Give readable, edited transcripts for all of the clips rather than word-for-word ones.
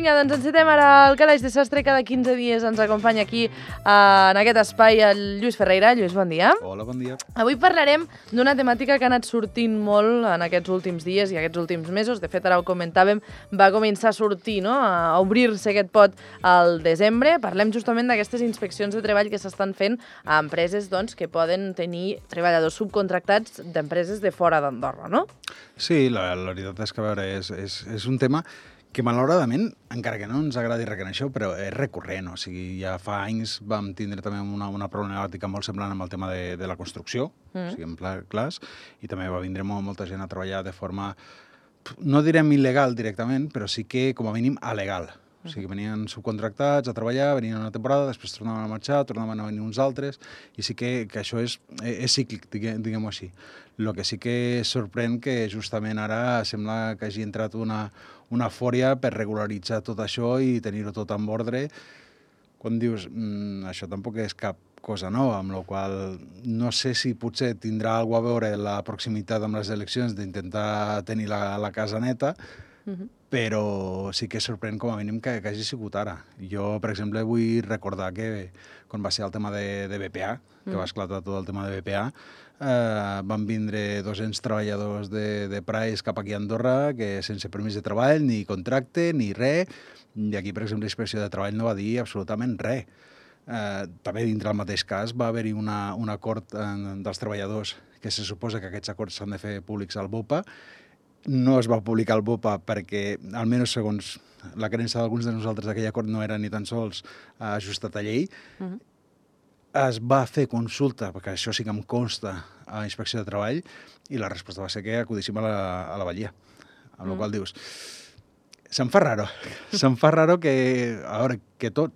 Vinga, doncs encetem ara el calaix de sastre. Cada 15 dies ens acompanya aquí en aquest espai el Lluís Ferreira. Lluís, bon dia. Hola, bon dia. Avui parlarem d'una temàtica que ha anat sortint molt en aquests últims dies i aquests últims mesos. De fet, ara ho comentàvem, va començar a sortir, no? A obrir-se aquest pot al desembre. Parlem justament d'aquestes inspeccions de treball que s'estan fent a empreses doncs, que poden tenir treballadors subcontractats d'empreses de fora d'Andorra, no? Sí, la veritat és que, a veure, és un tema que malauradament, encara que no ens agradi reconèixer, però és recurrent. O sigui, ja fa anys vam tindre també una problemàtica molt semblant amb el tema de la construcció, siguem clars, i també va vindre molta gent a treballar de forma, no direm il·legal directament, però sí que, com a mínim, alegal. O sigui, venien subcontractats a treballar, venien una temporada, després tornaven a marxar, tornaven a venir uns altres, i sí que això és cíclic, diguem-ho així. El que sí que sorprèn que justament ara sembla que hagi entrat una eufòria per regularitzar tot això i tenir-ho tot en ordre, quan dius, això tampoc és cap cosa nova, amb la qual no sé si potser tindrà alguna a veure la proximitat amb les eleccions d'intentar tenir la casa neta, però sí que sorprèn com a mínim que hagi sigut ara. Jo, per exemple, vull recordar que quan va ser el tema de BPA, que va esclatar tot el tema de BPA, van vindre 200 treballadors de Price cap aquí a Andorra que sense permís de treball, ni contracte, ni res, i aquí, per exemple, la Inspecció de Treball no va dir absolutament res. També dintre el mateix cas va haver-hi un acord dels treballadors que se suposa que aquests acords s'han de fer públics al BOPA. No es va publicar al BOPA perquè, almenys segons la creença d'alguns de nosaltres, aquell acord no era ni tan sols ajustat a llei. Es va fer consulta, perquè això sí que em consta, a la Inspecció de Treball, i la resposta va ser que acudíssim a la Batllia. Amb la qual dius, se'm fa raro. Se'm fa raro que, a veure, que tot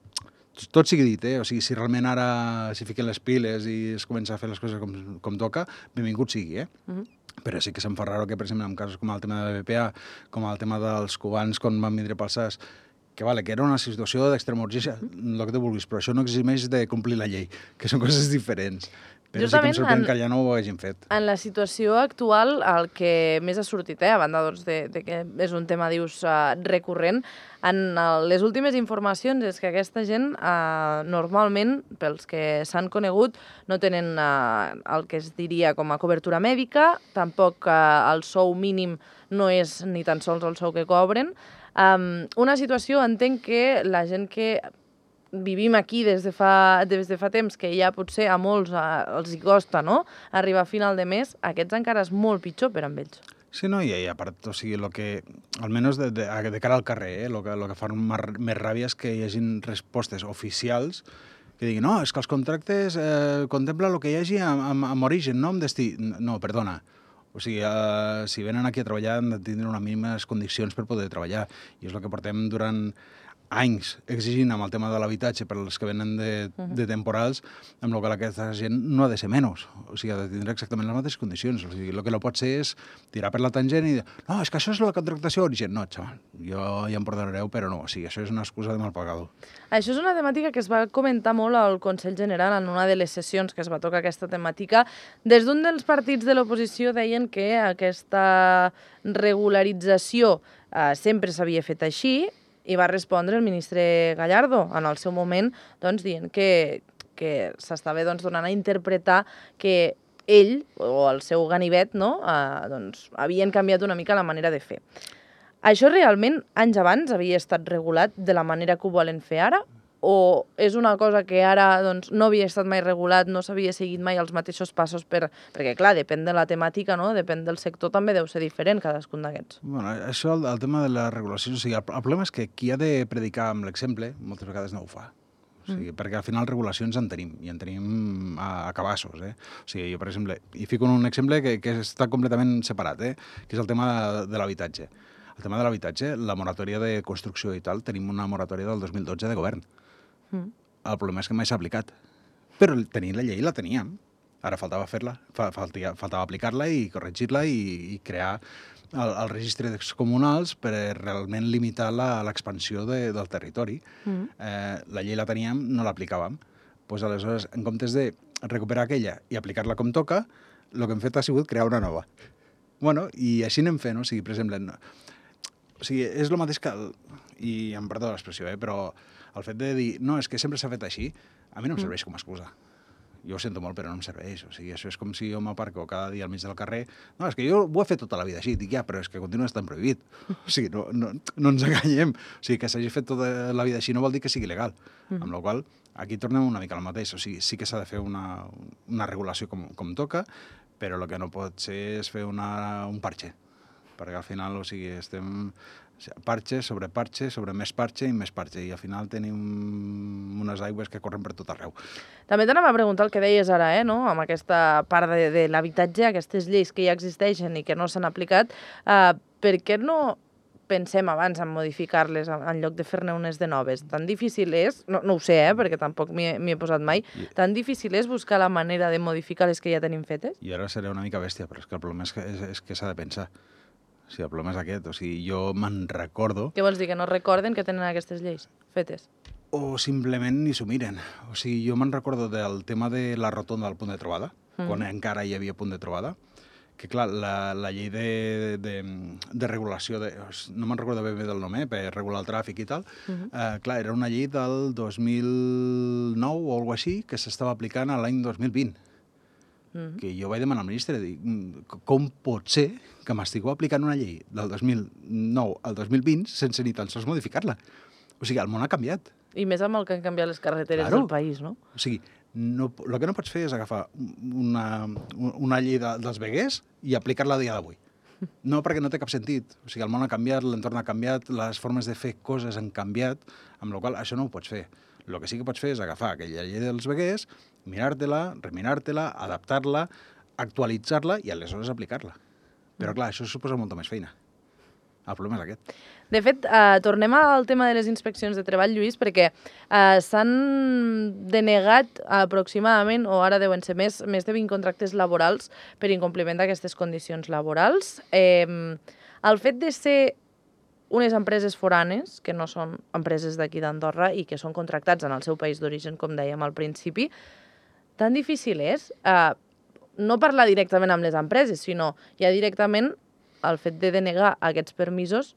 sigui dit, O sigui, si realment ara s'hi fiquen les piles i es comença a fer les coses com toca, benvingut sigui, Però sí que se'm fa raro que, per exemple, en casos com el tema de la BPA, com el tema dels cubans quan van vindre pel SAS, que era una situació d'extrema urgència, el que tu vulguis, però això no eximeix de complir la llei, que són coses diferents. Però sí que em sorprèn que ja no ho hagin fet. En la situació actual, el que més ha sortit, a banda doncs, de que és un tema, dius, recurrent, en les últimes informacions és que aquesta gent, normalment, pels que s'han conegut, no tenen el que es diria com a cobertura mèdica, tampoc el sou mínim no és ni tan sols el sou que cobren. Una situació, entenc que la gent que vivim aquí des de fa temps, que ja potser a molts els hi costa, no?, arribar a final de mes, aquests encara és molt pitjor per amb ells. Sí, no, i a part, o sigui, almenys de cara al carrer, el que fa més ràbia és que hi hagin respostes oficials que diguin, no, és que els contractes contemplen el que hi hagi amb origen, no amb destí. No, perdona. O sigui, si venen aquí a treballar han de tindre unes mínimes condicions per poder treballar. I és el que portem durant anys exigint amb el tema de l'habitatge per als que venen de temporals, amb el qual aquesta gent no ha de ser menys. O sigui, ha de tindre exactament les mateixes condicions. O sigui, el que no pot ser és tirar per la tangent i dir, no, és que això és la contractació origen. No, xaval, jo ja em perdonareu, però no. O sigui, això és una excusa de mal pagador. Això és una temàtica que es va comentar molt al Consell General en una de les sessions que es va tocar aquesta temàtica. Des d'un dels partits de l'oposició deien que aquesta regularització sempre s'havia fet així, i va respondre el ministre Gallardo en el seu moment doncs, dient que s'estava donant a interpretar que ell o el seu ganivet havien canviat una mica la manera de fer. Això realment anys abans havia estat regulat de la manera que ho volen fer ara? O és una cosa que ara no havia estat mai regulat, no s'havia seguit mai els mateixos passos perquè, clar, depèn de la temàtica, no? Depèn del sector, també deu ser diferent cadascun d'aquests. Bueno, això, el tema de la regulació, o sigui, el problema és que qui ha de predicar amb l'exemple moltes vegades no ho fa. O sigui, perquè al final regulacions en tenim, i en tenim a cabassos. O sigui, jo, per exemple, hi fico un exemple que està completament separat, que és el tema de l'habitatge. El tema de l'habitatge, la moratòria de construcció i tal, tenim una moratòria del 2012 de govern. El problema és que mai s'ha aplicat. Però tenir la llei la teníem. Ara faltava fer-la, faltava aplicar-la i corregir-la i crear el registre comunals per realment limitar l'expansió del territori. La llei la teníem, no l'aplicàvem. Doncs aleshores, en comptes de recuperar aquella i aplicar-la com toca, el que hem fet ha sigut crear una nova. Bueno, i així anem fent, o sigui, per exemple, O sigui, és el mateix que... I em perdó l'expressió, però el fet de dir, no, és que sempre s'ha fet així, a mi no em serveix com a excusa. Jo ho sento molt, però no em serveix. O sigui, això és com si jo m'aparco cada dia al mig del carrer. No, és que jo ho he fet tota la vida així. Dic, ja, però és que continua estant prohibit. O sigui, no ens enganyem. O sigui, que s'hagi fet tota la vida així no vol dir que sigui legal. Amb la qual aquí tornem una mica al mateix. O sigui, sí que s'ha de fer una regulació com toca, però el que no pot ser és fer un parche. Perquè al final, o sigui, estem parche sobre més parche i més parche, i al final tenim unes aigües que corren per tot arreu. També t'anava a preguntar el que deies ara, no? Amb aquesta part de l'habitatge, aquestes lleis que ja existeixen i que no s'han aplicat, per què no pensem abans en modificar-les en lloc de fer-ne unes de noves? Tan difícil és, no ho sé, perquè tampoc m'hi he posat mai, tan difícil és buscar la manera de modificar les que ja tenim fetes? I ara seré una mica bèstia, però és que el problema és que s'ha de pensar. O sigui, el problema és aquest. O sigui, jo me'n recordo... Què vols dir, que no recorden que tenen aquestes lleis fetes? O simplement ni s'ho miren. O sigui, jo me'n recordo del tema de la rotonda del punt de trobada, quan encara hi havia punt de trobada, que clar, la llei de regulació, no me'n recordo ben bé del nom, per regular el tràfic i tal, clar, era una llei del 2009 o alguna així, que s'estava aplicant a l'any 2020. Que jo vaig demanar al ministre, com pot ser que m'estigueu aplicant una llei del 2009 al 2020 sense ni tan sols modificar-la? O sigui, el món ha canviat. I més amb el que han canviat les carreteres del país, no? O sigui, el que no pots fer és agafar una llei dels veguers i aplicar-la a dia d'avui. No, perquè no té cap sentit. O sigui, el món ha canviat, l'entorn ha canviat, les formes de fer coses han canviat, amb la qual cosa això no ho pots fer. El que sí que pots fer és agafar aquella llei dels veguers, mirar-te-la, reminar-te-la, adaptar-la, actualitzar-la i aleshores aplicar-la. Però clar, això suposa molta més feina. El problema és aquest. De fet, tornem al tema de les inspeccions de treball, Lluís, perquè s'han denegat aproximadament, o ara deuen ser més de 20 contractes laborals per incompliment d'aquestes condicions laborals. El fet de ser unes empreses foranes, que no són empreses d'aquí d'Andorra i que són contractats en el seu país d'origen, com dèiem al principi, tan difícil és no parlar directament amb les empreses, sinó ja directament el fet de denegar aquests permisos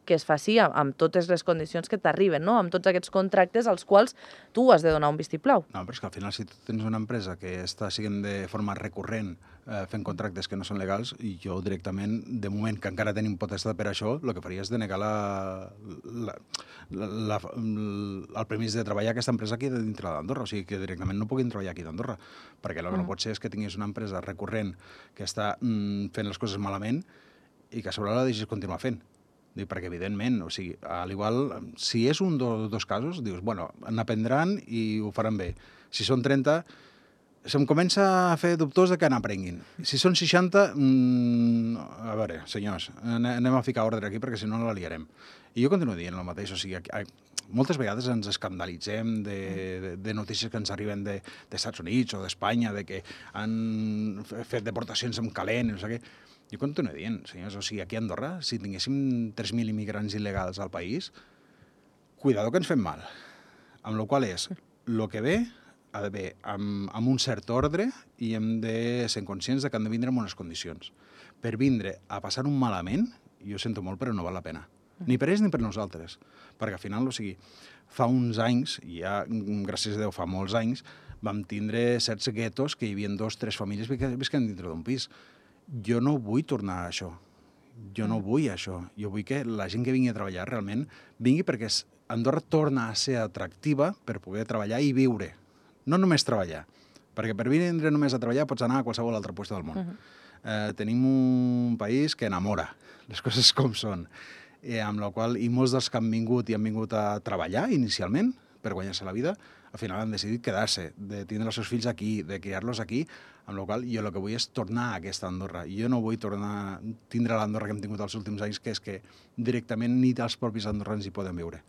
que es faci amb totes les condicions que t'arriben, no? Amb tots aquests contractes als quals tu has de donar un vistiplau. No, però és que al final si tu tens una empresa que està siguent de forma recurrent fent contractes que no són legals, i jo directament, de moment que encara tenim potestat per això, el que faria és denegar el permís de treballar aquesta empresa aquí dintre d'Andorra, o sigui que directament no puguin treballar aquí d'Andorra, perquè el que no pot ser és que tinguis una empresa recurrent que està fent les coses malament i que a sobre la deixis continuar fent. Perquè, evidentment, o sigui, a l'igual, si és un dos casos, dius, bueno, n'aprendran i ho faran bé. Si són 30, se'm comença a fer dubtós de que n'aprenguin. Si són 60, a veure, senyors, anem a ficar ordre aquí perquè si no la liarem. I jo continuo dient el mateix, o sigui, moltes vegades ens escandalitzem de notícies que ens arriben d'Estats Units o d'Espanya, de que han fet deportacions amb calent, no sé què. Jo continuo dient, senyors, o sigui, aquí a Andorra, si tinguéssim 3.000 immigrants il·legals al país, cuidado que ens fem mal. Amb la qual és, el que ve ha de ve amb un cert ordre i hem de ser conscients de que han de vindre en unes condicions. Per vindre a passar un malament, jo sento molt, però no val la pena. Ni per ells ni per nosaltres. Perquè al final, o sigui, fa uns anys, i ja, gràcies a Déu, fa molts anys, vam tindre certs guetos que hi havia 2 o 3 famílies visquent dintre d'un pis. Jo no vull tornar a això. Jo no vull això. Jo vull que la gent que vingui a treballar realment vingui perquè Andorra torna a ser atractiva per poder treballar i viure. No només treballar. Perquè per vindre només a treballar pots anar a qualsevol altre lloc del món. Tenim un país que enamora, les coses com són. Amb la qual, i molts dels que han vingut a treballar inicialment per guanyar-se la vida, al final han decidit quedar-se, de tindre els seus fills aquí, de criar-los aquí, amb la qual jo el que vull és tornar a aquesta Andorra. Jo no vull tornar a tindre l'Andorra que hem tingut els últims anys, que és que directament ni els propis andorrans hi poden viure.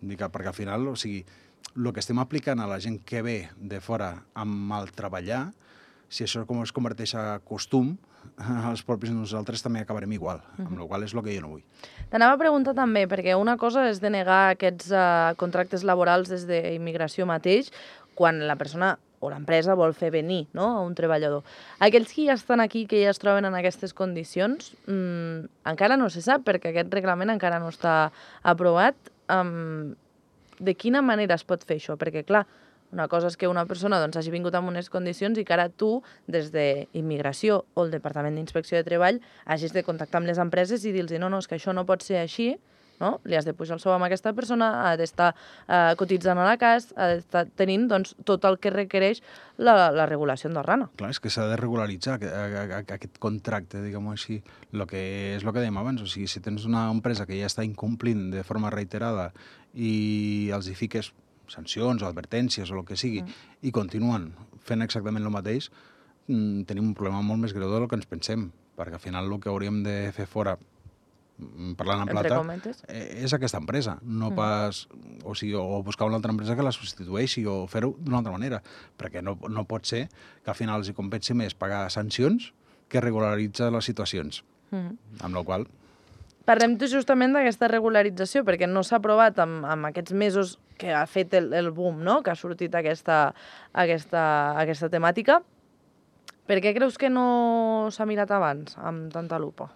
Perquè al final, o sigui, el que estem aplicant a la gent que ve de fora amb el treballar, si això com es converteix a costum, els propis nosaltres també acabarem igual, amb la qual és el que jo no vull. T'anava a preguntar també, perquè una cosa és denegar aquests contractes laborals des d'immigració mateix, quan la persona o l'empresa vol fer venir, no?, a un treballador. Aquells que ja estan aquí, que ja es troben en aquestes condicions, encara no se sap, perquè aquest reglament encara no està aprovat. De quina manera es pot fer això? Perquè, clar, una cosa és que una persona doncs, hagi vingut en unes condicions i que ara tu, des d'Immigració o el Departament d'Inspecció de Treball, hagis de contactar amb les empreses i dir-los no, és que això no pot ser així, no? Li has de pujar el sou amb aquesta persona, ha d'estar cotitzant a la CAS, ha d'estar tenint doncs, tot el que requereix la regulació andorrana. Clar, és que s'ha de regularitzar aquest contracte, diguem-ho així. És el que dèiem abans, o sigui, si tens una empresa que ja està incomplint de forma reiterada i els hi fiques sancions o advertències o el que sigui, i continuen fent exactament el mateix, tenim un problema molt més greu del que ens pensem, perquè al final el que hauríem de fer fora, parlant en plata, és aquesta empresa, no pas... O sigui, o buscar una altra empresa que la substitueixi o fer-ho d'una altra manera, perquè no pot ser que al final els hi compensi més pagar sancions que regularitzar les situacions. Amb la qual... Parlem justament d'aquesta regularització, perquè no s'ha aprovat amb aquests mesos que ha fet el boom, no?, que ha sortit aquesta temàtica. Per què creus que no s'ha mirat abans, amb tanta lupa?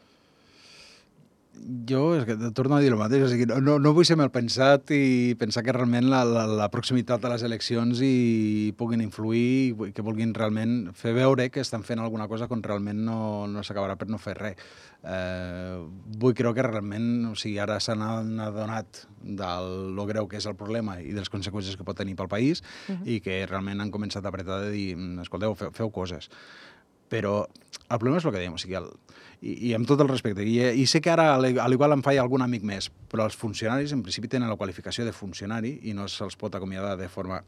Jo, és que torno a dir el mateix, o sigui, no vull ser mal pensat i pensar que realment la proximitat de les eleccions hi puguin influir i que vulguin realment fer veure que estan fent alguna cosa quan realment no s'acabarà per no fer res. Vull creure que realment, o sigui, ara s'han adonat del lo greu que és el problema i de les conseqüències que pot tenir pel país i que realment han començat a apretar de dir, escolteu, feu coses. Però el problema és el que dèiem, o sigui, i amb tot el respecte, i sé que ara a l'igual em falla algun amic més, però els funcionaris en principi tenen la qualificació de funcionari i no se'ls pot acomiadar de forma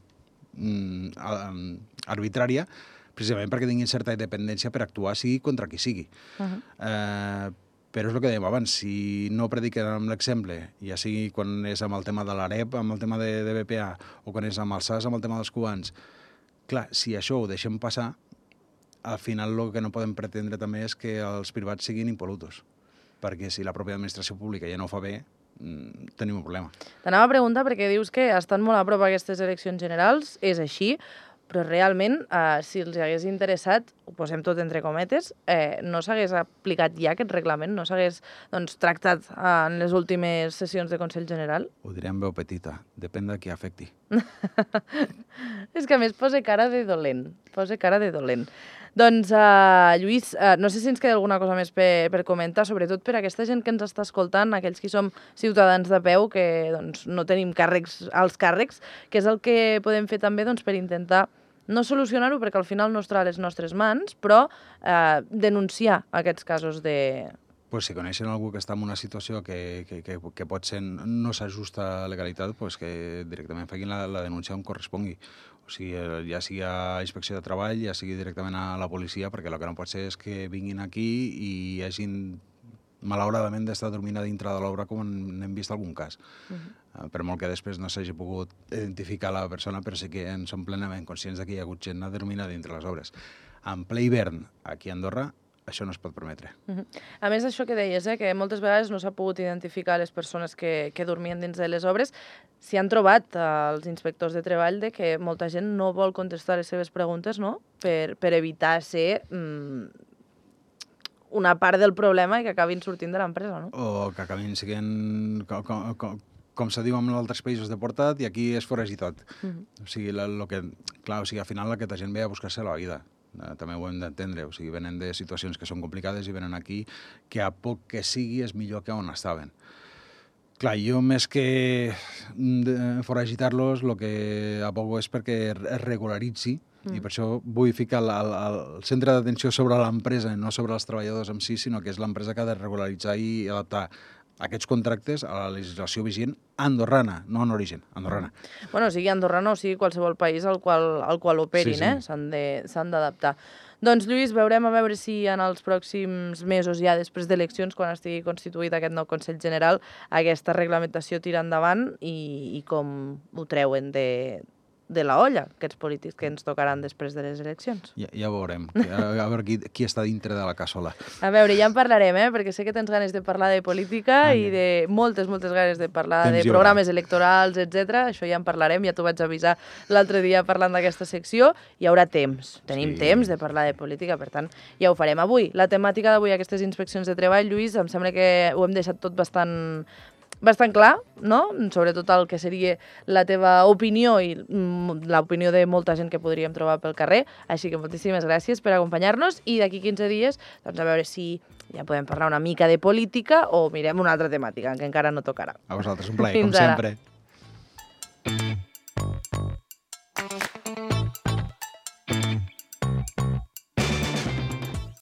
arbitrària, precisament perquè tinguin certa independència per actuar sigui contra qui sigui. Però és el que dèiem abans, si no prediquen amb l'exemple, ja sigui quan és amb el tema de l'AREP, amb el tema de BPA, o quan és amb el SAS, amb el tema dels cubans, clar, si això ho deixem passar, al final el que no podem pretendre també és que els privats siguin impol·lutos, perquè si la pròpia administració pública ja no ho fa bé, tenim un problema. T'anava a preguntar perquè dius que estan molt a prop aquestes eleccions generals, és així, però realment, si els hagués interessat, ho posem tot entre cometes, no s'hagués aplicat ja aquest reglament, no s'hagués tractat en les últimes sessions de Consell General? Ho diré en veu petita, depèn de qui afecti. És que a més posa cara de dolent, Doncs, Lluís, no sé si ens queda alguna cosa més per comentar, sobretot per aquesta gent que ens està escoltant, aquells que som ciutadans de peu, que no tenim alts càrrecs, que és el que podem fer també per intentar no solucionar-ho, perquè al final no estarà a les nostres mans, però denunciar aquests casos de... Pues si coneixen algú que està en una situació que pot ser no s'ajusta a legalitat, pues que directament facin la denúncia on correspongui. O sigui, ja sigui a Inspecció de Treball, ja sigui directament a la policia, perquè el que no pot ser és que vinguin aquí i hagin, malauradament, d'estar dormint a dintre de l'obra, com n'hem vist algun cas. Per molt que després no s'hagi pogut identificar la persona, però sí que en som plenament conscients que hi ha hagut gent a dormir a dintre les obres. En ple hivern, aquí a Andorra, això no es pot permetre. A més, això que deies, que moltes vegades no s'ha pogut identificar les persones que dormien dins de les obres, s'hi han trobat els inspectors de treball de que molta gent no vol contestar les seves preguntes, no?, per evitar ser una part del problema i que acabin sortint de l'empresa, no? O que acabin sent, com se diu en altres països, deportat, i aquí és foragitat. O sigui, clar, al final aquesta gent ve a buscar-se la vida. També ho hem d'entendre, o sigui, venen de situacions que són complicades i venen aquí que a poc que sigui és millor que on estaven. Clar, jo més que foragitar-los, el que abogo és perquè es regularitzi i per això vull ficar el centre d'atenció sobre l'empresa, no sobre els treballadors en si, sinó que és l'empresa que ha de regularitzar i adaptar aquests contractes a la legislació vigent andorrana, no en origen, andorrana. Bueno, sigui andorrana o sigui qualsevol país al qual operin, s'han d'adaptar. Doncs, Lluís, veurem a veure si en els pròxims mesos, ja després d'eleccions, quan estigui constituït aquest nou Consell General, aquesta reglamentació tira endavant i com ho treuen de la olla, aquests polítics que ens tocaran després de les eleccions. Ja veurem, a veure qui està dintre de la cassola. A veure, ja en parlarem, perquè sé que tens ganes de parlar de política i de moltes ganes de parlar de programes electorals, etc. Això ja en parlarem, ja t'ho vaig avisar l'altre dia parlant d'aquesta secció. Hi haurà temps, tenim temps de parlar de política, per tant, ja ho farem. Avui, la temàtica d'avui, aquestes inspeccions de treball, Lluís, em sembla que ho hem deixat tot bastant clar, no? Sobretot el que seria la teva opinió i l'opinió de molta gent que podríem trobar pel carrer. Així que moltíssimes gràcies per acompanyar-nos i d'aquí 15 dies doncs a veure si ja podem parlar una mica de política o mirem una altra temàtica que encara no tocarà. A vosaltres, un plaer, com sempre.